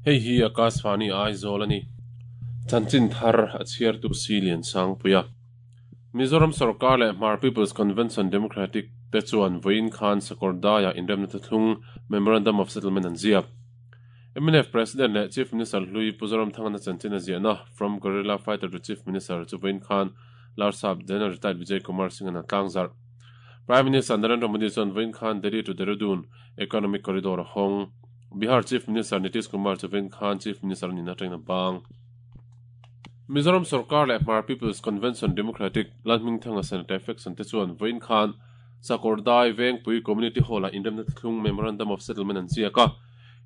Hei hi Akashvani Aizawl a ni. Chanchin thar a chhiartu Si Liansangpuia. Mizoram Sorkar leh Hmar People's Convention Democratic te chuan vawiin khan Sakawrdaiah inremna thuthlung Memorandum of Settlement an ziak. Mnf President leh Chief Minister hlui Pu Zoramthangana chanchin a ziahna From Guerrilla Fighter to Chief Minister chu vawiin khan Larsap General Retired Vijay Kumar Singh-a'n a tlangzarh. Prime Minister Narendra Modi chuan vawiin khan Delhi to Dehradun Economic Corridor a hawng. Bihar Chief Minister Nitish Kumar chu vawiin khan Chief Minister a nihna atangin a bang. Mizoram Sorkar leh Hmar People's Convention Democratic Lalhmingthanga Senator Faction te chuan vawiin khan Sakawrdai Vengpui Community Hall-ah inremna thlung Memorandum of Settlement an ziak a.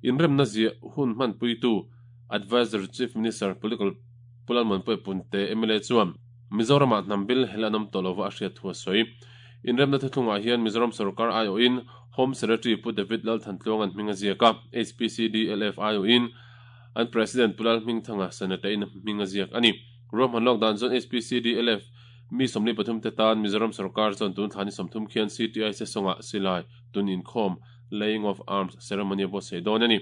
Inremna ziah hun hmanpuitu Adviser Chief Minister Political Pu Lalmuanpuia Punte mla chuan Mizoramah hnam bil hel an awm tawh lova a hriat thu a sawi. Inremna thuthlungah hian Mizoram sorkar aiawhin Home Secretary Pu David Lalthantluanga'n hming a ziak a, HPCDLF aiawhin an President Pu Lalhmingthanga Senator-in hming a ziak a ni. Ruahman lawk dan chuan HPCDLF mi 43 te tan Mizoram sorkar chuan tun thla ni 30 khian CTI sesawngah silai tun inkhawm Laying of Arms ceremony a buatsaih dawn a ni.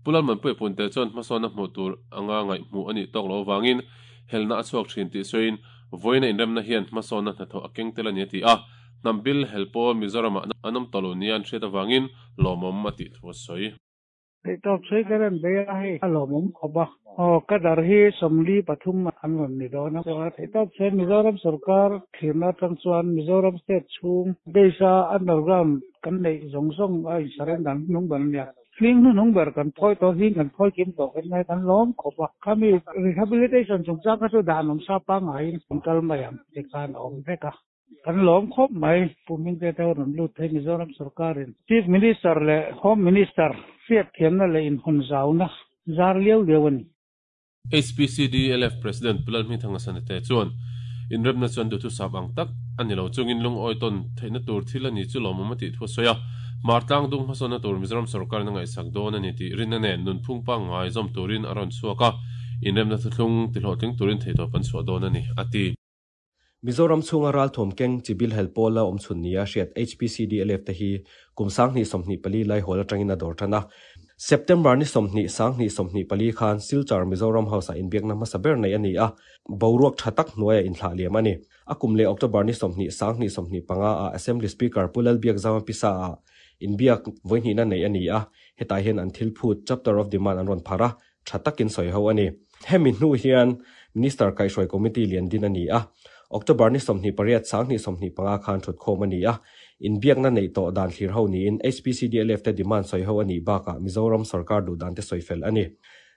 Pu Lalmanpuia Punte chuan hmasawnna hmuh tur anga ngaihhmuh a nih tawk loh avangin helna a chhuak thin tih sawiin vawiina inremna hian hmasawnna hnathawh a keng tel a ni a ti a. Hnam bil hel pawl Mizoramah an awm tawh lo nia an hriat avangin lawmawm a tih thu a sawi. Theihtawp sawi ka rem ve a, hei a lawmawm khawp a. Aw, ka dar hi 43 an rawn ni dawn a. Theihtawp sawi Mizoram sorkar thlirna atang chuan Mizoram state chhung base a underground kan neih zawng zawng a in surrender hnung ber a nia. Hling hnuhnung ber kan phawi tawh, hling kan phawi kim tawh kan ngai kan lawm khawp a. Khami rehabilitation chungchang kha chu dan awm sa pangaiin kan kal mai ang ti khan a awm vek a. Kan lawm khawp mai. Pu Hmingte te ho rawn lut thei Mizoram sorkarin Chief Minister leh Home Minister hriatthiamna leh inhawn zauna zar liau liau a ni. HPCDLF President Pu Lalhmingthanga Sanate chuan inremna chuan duhthusap ang tak a ni lo chungin lungawi tawn theihna tur thil a ni chu lawmawm a tih thu a sawi a. Hmar tlang dung hmasawnna tur Mizoram sorkarin a ngaihsak dawn a ni tih rinna nen nunphung pangngai zawm turin a rawn chhuak a, inremna thuthlung tihlawhtling turin theihtawp an chhuah dawn a ni, a ti. Mizoram chhunga ralthuam keng chi bil hel pawla awm chhun nia hriat HPCDLF te hi kum 2024 lai hawl atangin a dawr tan a. September ni 20, 2024 khan Silchar Mizoram House-ah inbiakna hmasa ber neih a ni a, boruak tha tak hnuaiah inthlah liam a ni. A kum leh October ni 20, 2025 ah Assembly Speaker Pu Lalbiakzama Pisa-ah inbiak vawihnihna neih a ni a, hetah hian an thil phut, Chapter of Demand an rawn pharh a, tha takin sawi ho a ni. Hemi hnu hian Minister kaihhruai Committee lian din a ni a, October ni 28 2025 khan thutkhawm a ni a, inbiakna neih tawh dan thlir ho niin HPCDLF te demand sawi ho a nih bakah Mizoram sorkar duh dan te sawi fel a ni.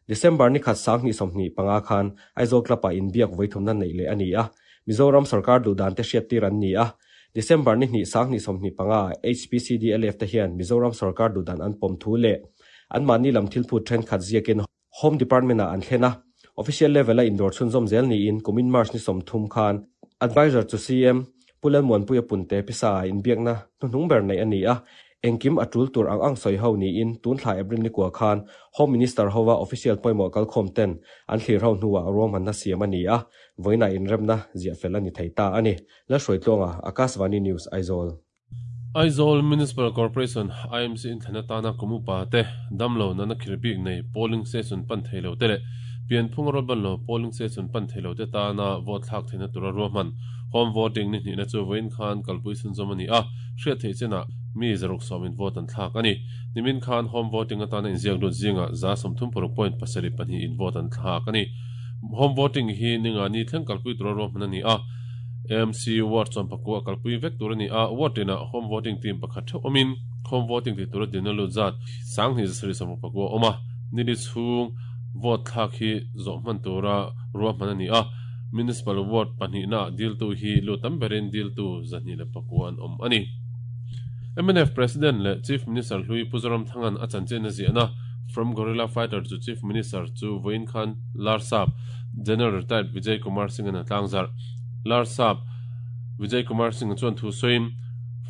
December ni khat 2025 khan Aizawl Club-ah inbiak vawithumna neih leh a ni a, Mizoram sorkar duh dan te hriattir an ni a, December ni hnih 2025 ah HPCDLF te hian Mizoram sorkar duh dan an pawm thu leh Anmahni lam thilphut thenkhat ziakin Home Department-ah an thlen a, official level-a indawr chhunzawm zel niin kumin March ni 30 khan Adviser chu CM Pu Lalmuanpuia Punte pisa-ah inbiakna hnuhnung ber neih a ni a, engkim a tul tur ang ang sawi ho niin tun thla April ni kua khan Home Minister hova official pawimawh kalkhawm ten an thlir ho hnuah ruahmanna siam a ni a, vawiinah inremna ziah fel a ni thei ta a ni. Lalhruaitluanga, Akashvani News, Aizawl. Aizawl Municipal Corporation, IMC, inthlan atana kum upa te, damlo nana khir bik nei polling station pan thei lo te leh pianphung a rawlban lo polling station pan thei lo te tana vote thlak theihna tura ruahman home voting ni hnihna chu vawiin khan kalpui chhunzawm a ni a, hriat theih chenah mi 110 in vote an thlak a ni. Nimin khan home voting atana inziak lut zingah 37.72 in vote an thlak a ni. Home voting hi ninga ni thleng kalpui tura ruahman a ni a. AMC ward chuan pakua a kalpui vek tur a ni a, ward tinah home voting team pakhat theuh awmin home voting tih tura dinna lut zat 2760 a awm a, nili chhung vote thlak hi zawh hman tura ruahman a ni a, municipal ward pahnihnaah diltu hi lut tam berin diltu 209 an awm a ni. Mnf President leh Chief Minister hlui Pu Zoramthanga'n a chanchin a ziahna From Guerrilla Fighter to Chief Minister chu vawiin khan Larsap General Retired Vijay Kumar Singh-a'n a tlangzarh. Larsap Vijay Kumar Singh chuan thu sawiin,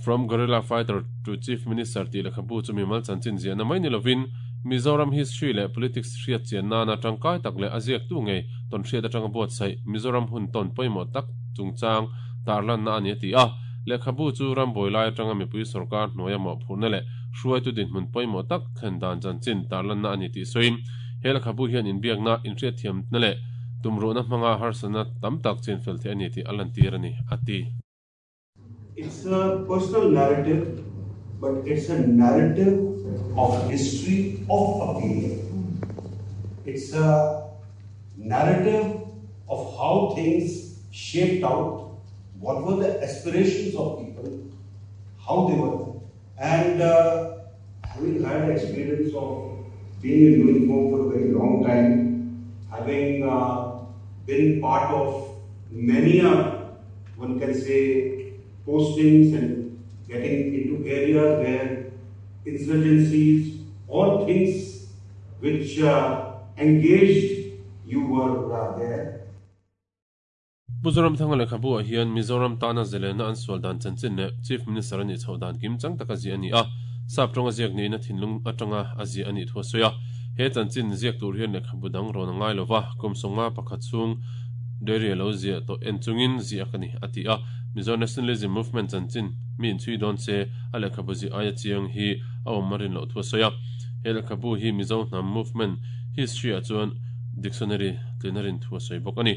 From Guerrilla Fighter to Chief Minister tih lehkhabu chu mimal chanchin ziahna mai ni lovin Mizoram history leh politics hriat chian nana tangkai tak leh a ziaktu ngei tawnhriat atanga buatsaih Mizoram hun tawn pawimawh tak chungchang tarlanna a ni a ti a. Lehkhabu chu rambuai lai atanga mipui sorkar hnuaia mawhphurhna leh hruaitu dinhmun pawimawh tak thlen dan chanchin tarlanna a ni tih sawiin He lehkhabu hian inbiakna, inhriatthiamna leh tumruhna hmanga harsatna tam tak chinfel theih a ni tih a lantir a ni, a ti. It's a personal narrative but it's a narrative of history of a period. It's a narrative of how things shaped out, what were the aspirations of people, how they were. And uh, having had experience of being in uniform for a very long time, having uh, been part of many a, one can say, postings and getting into areas where insurgencies or things which uh, engaged you were uh, there. Pu Zoramthanga lehkhabu ah hian Mizoram tana zalena an sual dan chanchin leh Chief Minister a nih chhoh dan kimchang taka ziah a ni a, sap tawnga ziak niin a thinlung atanga a ziah a nih thu a sawi a. He chanchin ziak tur hian lehkhabu dang rawn a ngai lova, kum sawmnga pakhat chhung diary a lo ziah tawh en chungin ziak a ni, a ti a. Mizo Nationalism Movement chanchin mi inchhui dawn se a lehkhabu ziah aia chiang hi a awm a rin loh thu a sawi a. He lehkhabu hi Mizo hnam movement history ah chuan dictionary tlin a rin thu a sawi bawk a ni.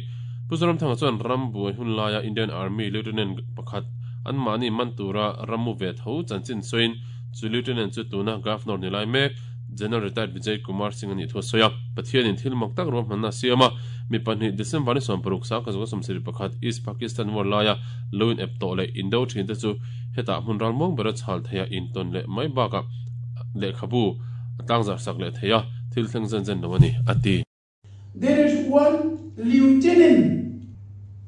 Pu Zoramthanga chuan ram buai hun laia Indian Army Lieutenant pakhat anmahni man tura rammu ve tho chanchin sawiin chu Lieutenant chu tuna Governor ni lai mek General Retired Vijay Kumar Singh a nih thu a sawi a. Pathianin thil mak tak ruahmanna a siam a, mi pahnih December ni sawmparuk sangkhat zawka sawmsarih pakhat East Pakistan War laia lo in ep tawh leh indo thin te chu hetah hmun ralmuang bera chhal theia intawn leh mai bakah lehkhabu a tlangzar sak leh thei a, thil thleng zen zen lo a ni, a ti. There is one lieutenant.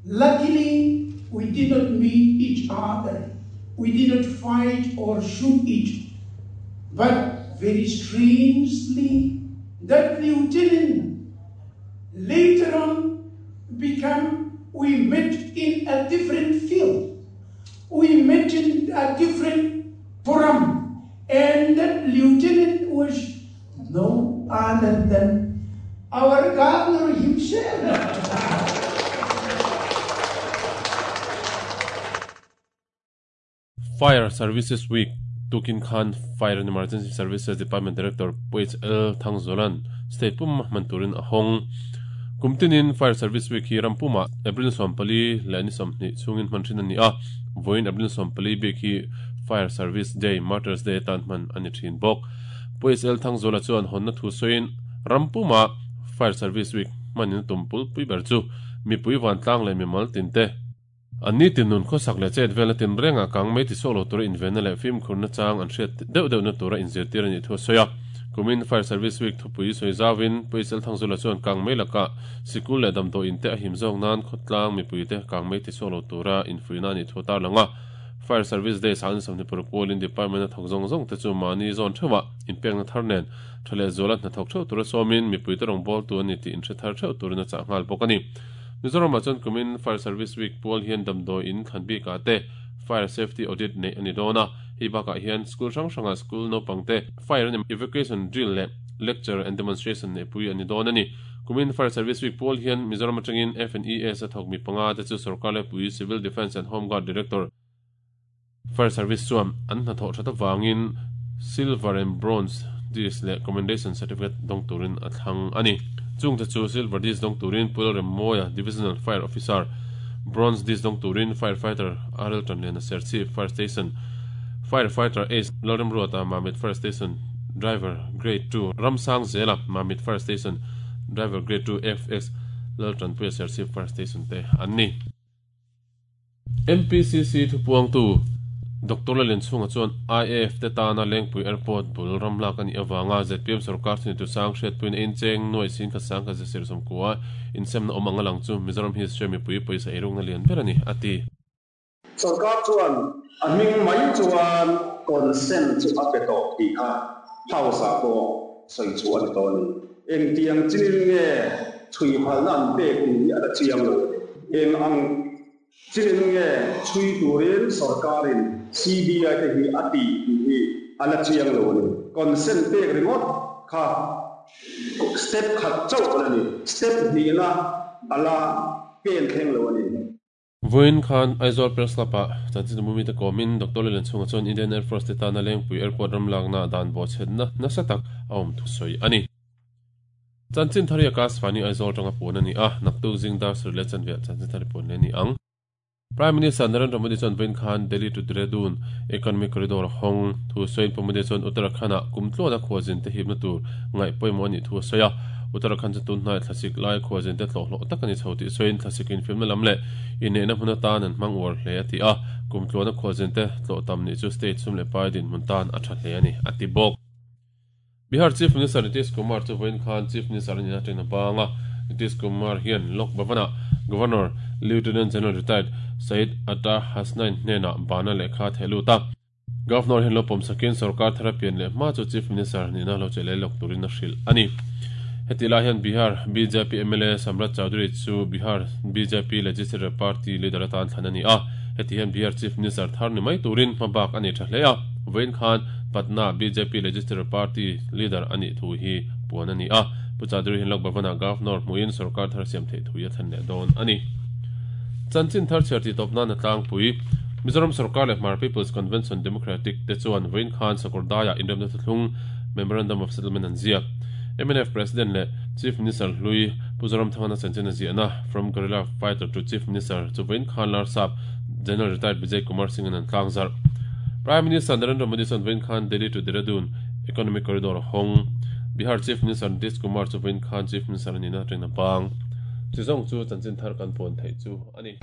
Luckily, we did not meet each other. We did not fight or shoot each. But very strangely, that lieutenant later on became, we met in a different field. We met in a different forum. And that lieutenant was no other than our governor himself. Fire Services Week tukin khan Fire and Emergency Services Department Director Pu HL Thangzawla'n State pum hman turin a hawng. Kum tinin Fire Service Week hi ram pumah April 14 leh ni 20 chhungin hman thin a ni a, vawiin April 14 bik hi Fire Service Day, Martyrs Day atan hman a ni thin bawk. Pu HL Thangzawla chuan hawnna thu sawiin ram pumah Fire Service Week hmanin a tum pulpui ber chu mipui vantlang leh mimal tinte, An ni tin nun khawsak leh chet velna tin rengah kang mai ti sawk lo tura invenna leh fimkhurna chang an hriat deuh deuhna tura inzirtir a nih thu a sawi a. Kumin Fire Service Week thupui sawi zauin Pu Isel Thangzula chuan kang mai lakah sikul leh damdawiin te a him zawk nan khawtlang mipuite kang mai ti sawk lo tura infuihna a nih thu a tarlang a. Fire Service Day sang sawmhnih paruk pawlin Department a thawk zawng zawng te chu mahni zawn theuhah inpekna thar nen tha leh zuala hnathawk theuh tura sawmin mipuite rawngbawltu a ni tih inhre thar theuh turin a chah nghal bawk a ni. Mizoramah chuan kumin Fire Service Week pual hian damdawi in thlan bikah te Fire Safety Audit neih a ni dawn a, hei bakah hian school hrang hrangah school naupang te Fire and Evacuation Drill leh Lecture and Demonstration neihpui a ni dawn a ni. Kumin Fire Service Week pual hian Mizoram atangin FNES a thawk mi panga te chu Sorkar Laipui Civil Defence and Home Guard Director Fire Service chuan an hnathawh that avangin Silver and Bronze Disc leh Commendation Certificate dawng turin a thlang a ni. Chungte chu Silver Disc dawng turin Pu Lalremmawia, Divisional Fire Officer, Bronze Disc dawng turin Fire Fighter RL Tanliana Serchhip Fire Station, Fire Fighter Ace Lalremruata Mamit Fire Station, Driver Grade 2 Ramsangzela Mamit Fire Station, Driver Grade 2 FX Laltanpuia Serchhip Fire Station te an ni. MPCC thupuangtu Doctor Lallianchhunga chuan IAF te tana Lengpui Airport bul ram lak a nih avanga zpm sorkar thuneitu sang hriatpuiin a incheng nuai sin khat sang khat zesir sawmkua insemna awm ang a lang chu Mizoram history mipui pawisa eirukna lian ber a ni, a ti. Sorkar chuan a hming mai chuan consent chu a pe tawh tih kha House-ah pawh sawi chhuah a ni tawh a ni. Engtiang chinin nge chhui phalna an pek tih hi a la chiang lo a ni. Eng ang chinin nge chhui turin sorkarin CBI te hi a tih tih hi a la chiang lo a ni. Consent pek ringawt kha step khat chauh a la ni. Step hnihna a la pen thleng lo a ni. Vawiin khan Aizawl Press Club-ah chanchin mumite kawmin Doctor Lallianchhunga chuan Indian Air Force te tana Lengpui Airport ram lakna dan bawhchhetna nasa tak a awm thu sawi a ni. Chanchin thar hi Akashvani Aizawl atanga puan a ni a, naktuk zing dar sarih leh chanve ah chanchin thar hi puan leh a ni ang. Prime Minister Narendra Modi chuan vawiin khan Delhi to Dehradun Economic Corridor hawng thu sawiin Pu Modi chuan Uttarakhand-ah kum tluana khualzin te hipna tur ngaih pawimawh a nih thu a sawi a. Uttarakhand chu tun hnaiah thlasik lai khualzin te tlawhhlawh tak a ni chho tih sawiin thlasik infiamna lam leh inneihna hmun atan an hmang uar hle a ti a, kum tluana khualzin te tlawh tam nih chu state sum leh pai dinhmun tan a tha hle a ni, a ti bawk. Bihar Chief Minister Nitish Kumar chu vawiin khan Chief Minister a nihna atangin a bang a. Nitish Kumar hian Lok Bhavan-ah Governor Lieutenant General Retired Syed Atta Hasnain hnenah bana lehkha a theh lut a. Governor hian lo pawmsakin sorkar thar a pian leh hma chu Chief Minister nihna lo che leh lawk turin a hrilh a ni. Hetih lai hian Bihar bjp mla Samrat Chaudhary chu Bihar bjp Legislature Party leader atan thlan a ni a. Heti hian Bihar Chief Minister thar ni mai turin hmabak a nei tha hle a. Vawiin khan Patna bjp Legislature Party leader a nih thu hi puan a ni a. Pu Chaudhary hian Lok Bhavan-ah Governor hmuhin sorkar thar siam theih thu hi a thlen leh dawn a ni. Chanchin thar chhiar tih tawp nan a tlangpui. Mizoram sorkar leh Hmar People's Convention Democratic te chuan vawiin khan Sakawrdaiah inremna thuthlung Memorandum of Settlement an ziak. Mnf President leh Chief Minister hlui Pu Zoramthangana chanchin a ziahna From Guerrilla Fighter to Chief Minister chu vawiin khan Larsap General Retired Vijay Kumar Singh-in an tlangzarh. Prime Minister Narendra Modi chuan vawiin khan Delhi to Dehradun Economic Corridor a hawng. Bihar Chief Minister Nitish Kumar chu vawiin khan Chief Minister a nihna atangin a bang. Chuzawng chu chanchin thar kan puan theih chu a ni.